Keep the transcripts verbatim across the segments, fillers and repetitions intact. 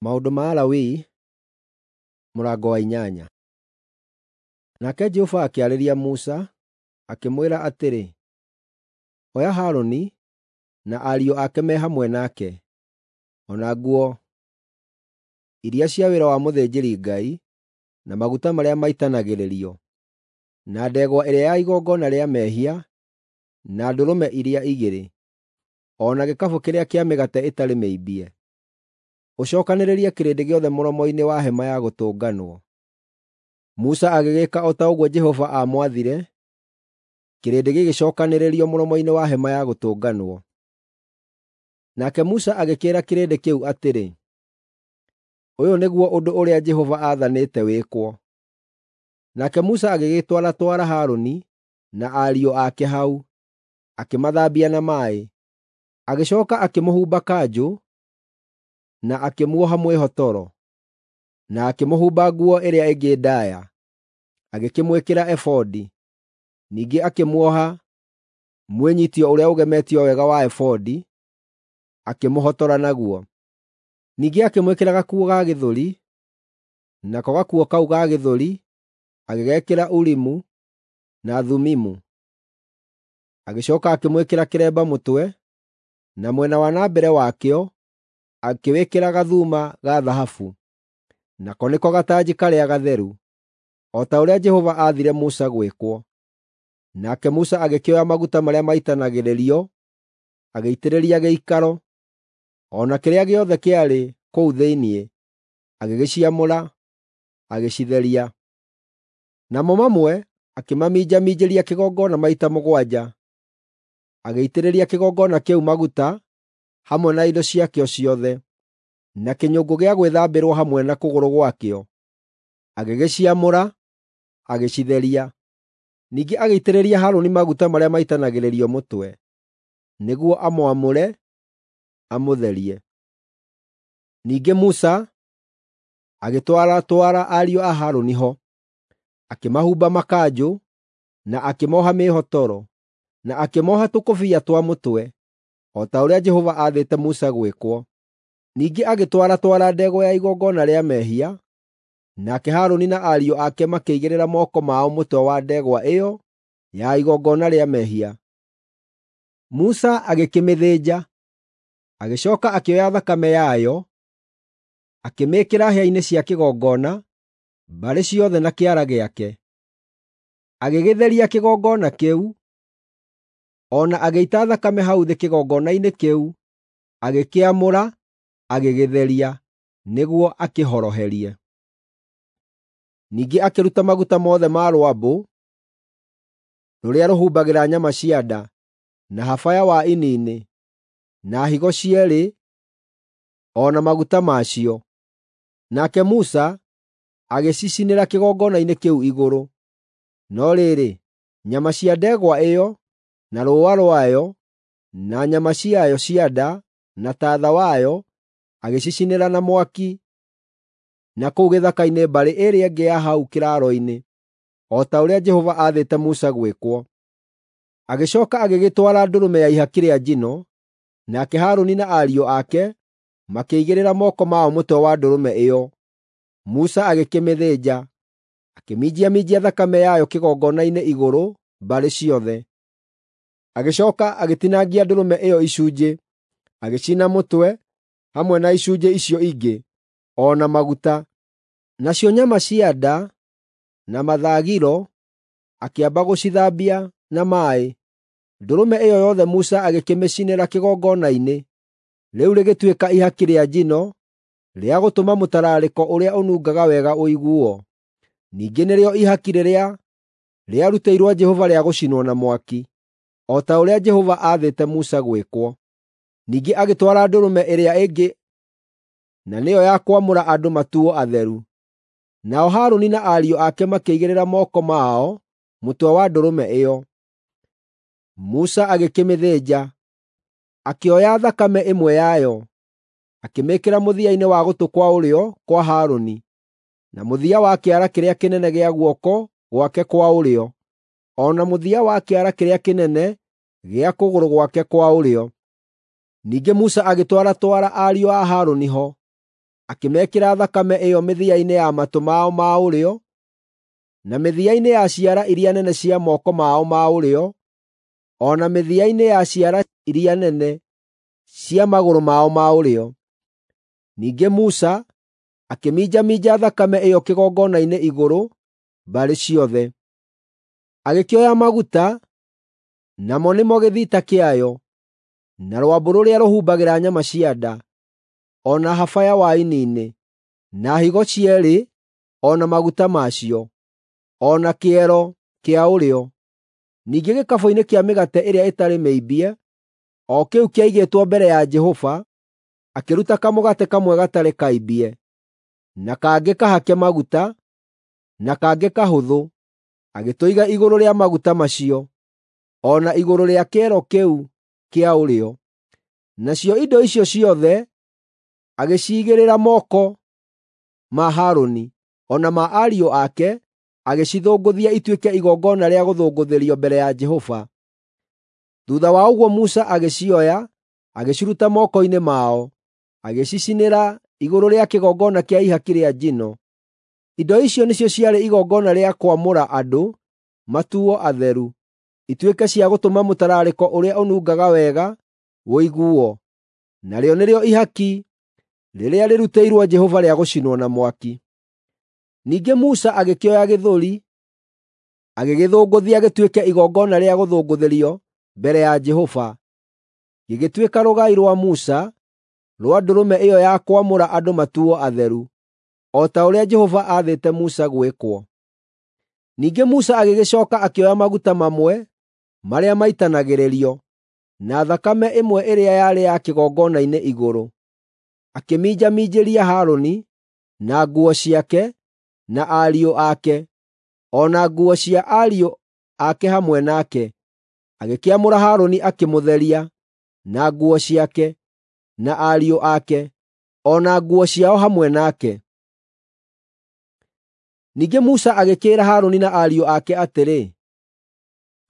Maũndũ ma Alawii mũrango wa inyanya. Nake Jehova akĩarĩria Musa, akĩmwĩra atĩrĩ, “Oya Harũni na ariũ ake me hamwe nake, o na nguo iria cia wĩra wa mũthĩnjĩri-Ngai, na maguta marĩa maitanagĩrĩrio, na ndegwa ĩrĩa ya igongona rĩa mehia, na ndũrũme iria igĩrĩ, o na gĩkabũ kĩrĩa kĩa mĩgate ĩtarĩ mĩimbie. Ũcookanĩrĩrie kĩrĩndĩ gĩothe mũromo-inĩ wa Hema-ya-Gũtũnganwo.” Musa agĩgĩĩka o ta ũguo Jehova aamwathire, kĩrĩndĩ gĩgĩcookanĩrĩrio mũromo-inĩ wa Hema-ya-Gũtũnganwo. Nake Musa agĩkĩĩra kĩrĩndĩ kĩu atĩrĩ, “Ũyũ nĩguo ũndũ ũrĩa Jehova aathanĩte wĩkwo.” Nake Musa agĩgĩtwaratwara Harũni na ariũ ake hau, akĩmathambia na maaĩ. Agĩcooka akĩmũhumba kanjũ na akĩmuoha mwĩhotoro, na akĩmũhumba nguo ĩrĩa ĩngĩ ndaaya, agĩkĩmwĩkĩra ebodi, ningĩ akĩmuoha mwĩnyiitio ũrĩa ũgemetio wega wa ebodi, akĩmũhotora naguo. Ningĩ akĩmwĩkĩra gakuo ga gĩthũri, nako gakuo kau ga gĩthũri agĩgekĩra Urimu na Thumimu. Agĩcooka akĩmwĩkĩra kĩremba mũtwe, na mwena wa na mbere wakĩo akĩwĩkĩra gathuma ga thahabu, nako nĩko gatanji karĩa gatheru, o ta ũrĩa Jehova aathire Musa gwĩkwo. Nake Musa agĩkĩoya maguta marĩa maitanagĩrĩrio agĩitĩrĩria gĩikaro, o na kĩrĩa gĩothe kĩarĩ kũu thĩinĩ, agĩgĩciamũra, agĩcitheria. Namo mamwe akĩmaminjaminjĩria kĩgongona maita mũgwanja, agĩitĩrĩria kĩgongona kĩu maguta hamwe na indo ciakĩo ciothe, na kĩnyũngũ gĩa gwĩthambĩrwo hamwe na kũgũrũ gwakĩo, agĩgĩciamũra, agĩcitheria. Ningĩ agĩitĩrĩria Harũni maguta marĩa maitanagĩrĩrio mũtwe, nĩguo amwamũre, amũtherie. Ningĩ Musa agĩtwaratwara ariũ a Harũni ho, akĩmahumba makanjũ, na akĩmooha mĩĩhotoro, na akĩmooha tũkũbia twa mũtwe, o ta ũrĩa Jehova aathĩte Musa gwĩkwo. Ningĩ agĩtwaratwara ndegwa ya igongona rĩa mehia, nake Harũni na ariũ ake makĩigĩrĩra moko mao mũtwe wa ndegwa ĩyo ya igongona rĩa mehia. Musa agĩkĩmĩthĩnja, agĩcooka akĩoya thakame yayo, akĩmĩĩkĩra hĩa-inĩ cia kĩgongona, mbarĩ ciothe na kĩara gĩake. Agĩgĩtheria kĩgongona kĩu, o na agĩita thakame hau thĩ kĩgongona-inĩ kĩu, agĩkĩamũra, agĩgĩtheria, nĩguo akĩhoroherie. Ningĩ akĩruta maguta mothe ma rwambũ rũrĩa rũhumbagĩra nyama cia nda, na habaya wa ini-inĩ, na higo cierĩ o na maguta macio. Nake Musa agĩcicinĩra kĩgongona-inĩ kĩu igũrũ. No rĩrĩ, nyama cia ndegwa ĩyo, na rũũa rwayo, na nyama ciayo cia nda, na taatha wayo, agĩcicinĩra na mwaki na kũu gĩthaka-inĩ mbarĩ ĩrĩa ĩngĩ ya hau kĩraaro-inĩ, o ta ũrĩa Jehova aathĩte Musa gwĩkwo. Agĩcooka agĩgĩtwara ndũrũme ya ihaki rĩa njino, nake Harũni na ariũ ake makĩigĩrĩra moko mao mũtwe wa ndũrũme ĩyo. Musa agĩkĩmĩthĩnja, akĩminjaminjia thakame yayo kĩgongona-inĩ igũrũ mbarĩ ciothe. Agĩcooka agĩtinangia ndũrũme ĩyo icunjĩ, agĩcina mũtwe hamwe na icunjĩ icio ingĩ, o na maguta. Nacio nyama cia nda na mathagiro akĩamba gũcithambia na maaĩ. Ndũrũme ĩyo yothe Musa agĩkĩmĩcinĩra kĩgongona-inĩ, rĩu rĩgĩtuĩka ihaki rĩa njino rĩa gũtũma mũtararĩko ũrĩa ũnungaga wega ũiguo. Ningĩ nĩrĩo ihaki rĩrĩa rĩarutĩirwo Jehova rĩa gũcinwo na mwaki, o ta ũrĩa Jehova aathĩte Musa gwĩkwo. Ningĩ agĩtwara ndũrũme ĩrĩa ĩngĩ na nĩyo ya kwamũra andũ matuo atheru. Nao Harũni na ariũ ake makĩigĩrĩra moko mao mũtwe wa ndũrũme ĩyo. Musa agĩkĩmĩthĩnja, akĩoya thakame ĩmwe yayo, akĩmĩĩkĩra mũthia-inĩ wa gũtũ kwa ũrĩo kwa Harũni, na mũthia wa kĩara kĩrĩa kĩnene gĩa guoko gwake kwa ũrĩo, o na mũthia wa kĩara kĩrĩa kĩnene gĩa kũgũrũ gwake kwa ũrĩo. Ningĩ Musa agĩtwaratwara ariũ a Harũni ho, akĩmekĩra thakame ĩyo mĩthia-inĩ ya matũ mao ma ũrĩo, na mĩthia-inĩ ya ciara iria nene cia moko mao ma ũrĩo, o na mĩthia-inĩ ya ciara iria nene cia magũrũ mao ma ũrĩo. Ningĩ Musa akĩminjaminja thakame ĩyo kĩgongona-inĩ igũrũ mbarĩ ciothe. Agĩkĩoya maguta, namo nĩmo gĩthita kĩayo, na rwambũ rũrĩa rũhumbagĩra nyama cia nda, o na habaya wa ini-inĩ, na higo cierĩ o na maguta macio, o na kĩero kĩa ũrĩo. Ningĩ gĩkabũ-inĩ kĩa mĩgate ĩrĩa ĩtarĩ mĩimbie, o kĩu kĩaigĩtwo mbere ya Jehova, akĩruta kamũgate kamwe gatarĩ kaimbie, na kangĩ kahake maguta, na kangĩ kahũthũ, agĩtũiga igũrũ rĩa maguta macio, o na igũrũ rĩa kĩero kĩu kĩa ũrĩo. Nacio indo icio ciothe agĩciigĩrĩra moko ma Harũni, o na ma ariũ ake, agĩcithũngũthia ituĩke igongona rĩa gũthũngũthĩrio mbere ya Jehova. Thuutha wa ũguo Musa agĩcioya, agĩciruta moko-inĩ mao, agĩcicinĩra igũrũ rĩa kĩgongona kĩa ihaki rĩa njino. Indo icio nĩcio ciarĩ igongona rĩa kwamũra andũ matuo atheru, ituĩke cia gũtũma mũtararĩko ũrĩa ũnungaga wega ũiguo, narĩo nĩrĩo ihaki rĩrĩa rĩrutĩirwo Jehova rĩa gũcinwo na mwaki. Ningĩ Musa agĩkĩoya gĩthũri, agĩgĩthũngũthia gĩtuĩke igongona rĩa gũthũngũthĩrio mbere ya Jehova, gĩgĩtuĩka rũgai rwa Musa rwa ndũrũme ĩyo ya kwamũra andũ matuo atheru, o ta ũrĩa Jehova aathĩte Musa gwĩkwo. Ningĩ Musa agĩgĩcooka akĩoya maguta mamwe marĩa maitanagĩrĩrio, na thakame ĩmwe ĩrĩa yarĩ ya kĩgongona-inĩ igũrũ, akĩminjaminjĩria Harũni, na nguo ciake, na ariũ ake, o na nguo cia ariũ ake hamwe nake. Agĩkĩamũra Harũni akĩmũtheria, na nguo ciake, na ariũ ake, o na nguo ciao hamwe nake. Ningĩ Musa agĩkĩĩra Harũni na ariũ ake atĩrĩ,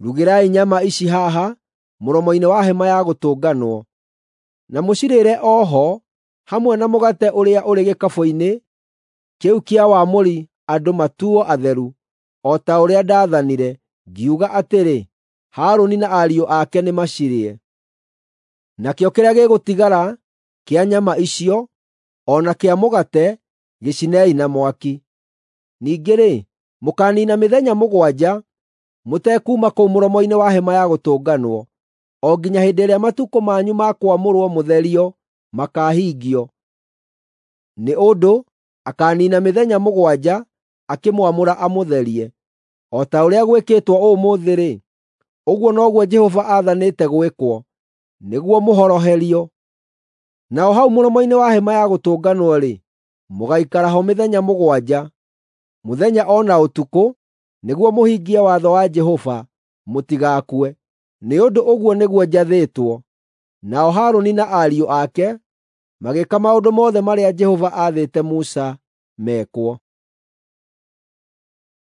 “Rugĩrai nyama ici haha mũromo-inĩ wa Hema-ya-Gũtũnganwo, na mũcirĩre o ho hamwe na mũgate ũrĩa ũrĩ gĩkabũ-inĩ kĩu kĩa wamũri andũ matuo atheru, o ta ũrĩa ndaathanire, ngiuga atĩrĩ, 'Harũni na ariũ ake nĩmacirĩe.' Nakĩo kĩrĩa gĩgũtigara kĩa nyama icio, o na kĩa mũgate, gĩcinei na mwaki. Ningĩ-rĩ, mũkaaniina mĩthenya mũgwanja mũtekuuma kũu mũromo-inĩ wa Hema-ya-Gũtũnganwo, o nginya hĩndĩ ĩrĩa matukũ manyu ma kwamũrwo mũtherio makaahingio, nĩ ũndũ akaaniina mĩthenya mũgwanja akĩmwamũra amũtherie. O ta ũrĩa gwĩkĩtwo ũmũthĩ-rĩ, ũguo noguo Jehova aathanĩte gwĩkwo, nĩguo mũhoroherio. Naho hau mũromo-inĩ wa Hema-ya-Gũtũnganwo-rĩ, mũgaikara ho mĩthenya mũgwanja, mũthenya o na ũtukũ, nĩguo mũhingie watho wa Jehova, mũtigakue. Nĩ ũndũ ũguo nĩguo njathĩtwo.” Nao Harũni na ariũ ake magĩĩka maũndũ mothe marĩa Jehova aathĩte Musa mekwo.